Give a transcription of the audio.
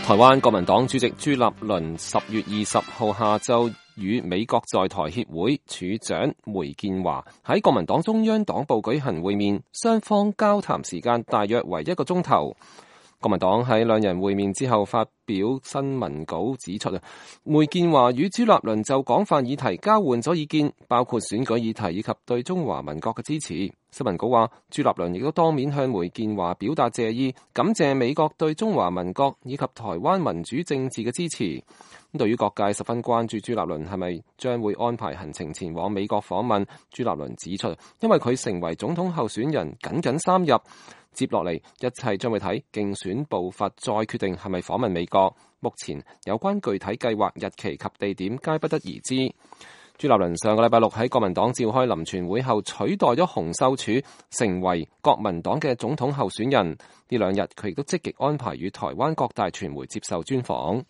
台灣國民黨主席朱立倫10月20號下晝與美國在台協會處長梅建華喺國民黨中央黨部舉行會面，雙方交談時間大約為1個鐘頭。國民黨喺兩人會面之後發表新聞稿指出，梅建華與朱立倫就廣泛議題交換咗意見，包括選舉議題以及對中華民國嘅支持。新聞稿話，朱立倫亦都當面向梅建華表達謝意，感謝美國對中華民國以及台灣民主政治嘅支持。對於各界十分關注朱立倫係咪將會安排行程前往美國訪問，朱立倫指出，因為佢成為總統候選人僅3日，接落嚟一切將會睇競選步伐，再決定係咪訪問美國。目前有關具體計劃、日期及地點皆不得而知。朱立倫上個禮拜6喺國民黨召開臨全會後，取代咗洪秀柱成為國民黨嘅總統候選人。呢2日佢亦都積極安排與台灣各大傳媒接受專訪。